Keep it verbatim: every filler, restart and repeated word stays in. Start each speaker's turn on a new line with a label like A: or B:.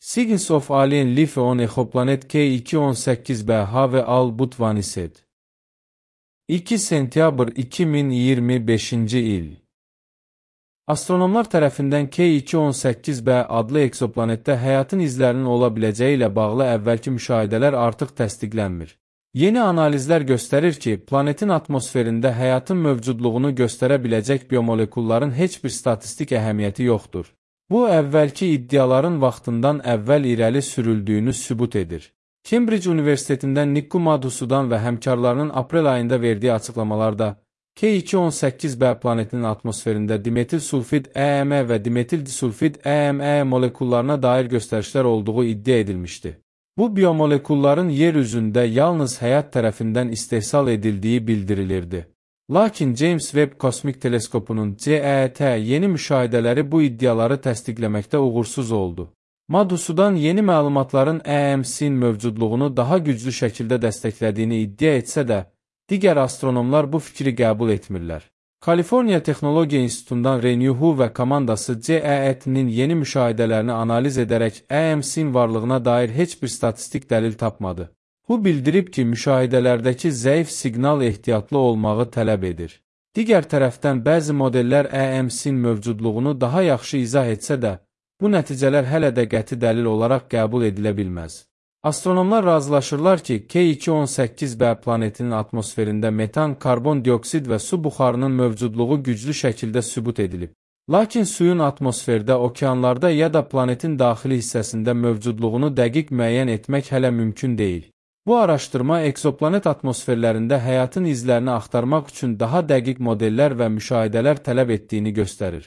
A: Signs of Alien Life on Exoplanet K iki on səkkiz B Have All But Vanished. iki sentyabr iki min iyirmi beşinci il. Astronomlar tərəfindən K iki on səkkiz B adlı eksoplanetdə həyatın izlərinin ola biləcəyi ilə bağlı əvvəlki müşahidələr artıq təsdiqlənmir. Yeni analizlər göstərir ki, planetin atmosferində həyatın mövcudluğunu göstərə biləcək biomolekulların heç bir statistik əhəmiyyəti yoxdur. Bu, əvvəlki iddiaların vaxtından əvvəl irəli sürüldüyünü sübut edir. Cambridge Universitetindən Nikku Madhusudan və həmkarlarının aprel ayında verdiyi açıqlamalarda K iki on səkkiz B planetinin atmosferində dimetil sulfid E M və dimetil disulfid E M E molekullarına dair göstərişlər olduğu iddia edilmişdi. Bu biomolekulların yer üzündə yalnız həyat tərəfindən istehsal edildiyi bildirilirdi. Lakin James Webb Kosmik Teleskopunun C E T yeni müşahidələri bu iddiaları təsdiqləməkdə uğursuz oldu. Madhusudan yeni məlumatların E M C-in mövcudluğunu daha güclü şəkildə dəstəklədiyini iddia etsə də, digər astronomlar bu fikri qəbul etmirlər. Kaliforniya Texnologiya İnstitutundan Renew Hu və komandası C E T'nin yeni müşahidələrini analiz edərək E M C-in varlığına dair heç bir statistik dəlil tapmadı. Bu bildirib ki, müşahidələrdəki zəif siqnal ehtiyatlı olmağı tələb edir. Digər tərəfdən bəzi modellər E M C-in mövcudluğunu daha yaxşı izah etsə də, bu nəticələr hələ də qəti dəlil olaraq qəbul edilə bilməz. Astronomlar razılaşırlar ki, K iki on səkkiz B planetinin atmosferində metan, karbon dioksid və su buxarının mövcudluğu güclü şəkildə sübut edilib. Lakin suyun atmosferdə, okeanlarda ya da planetin daxili hissəsində mövcudluğunu dəqiq müəyyən etmək hələ mümkün deyil. Bu araşdırma eksoplanet atmosferlərində həyatın izlərini axtarmaq üçün daha dəqiq modellər və müşahidələr tələb etdiyini göstərir.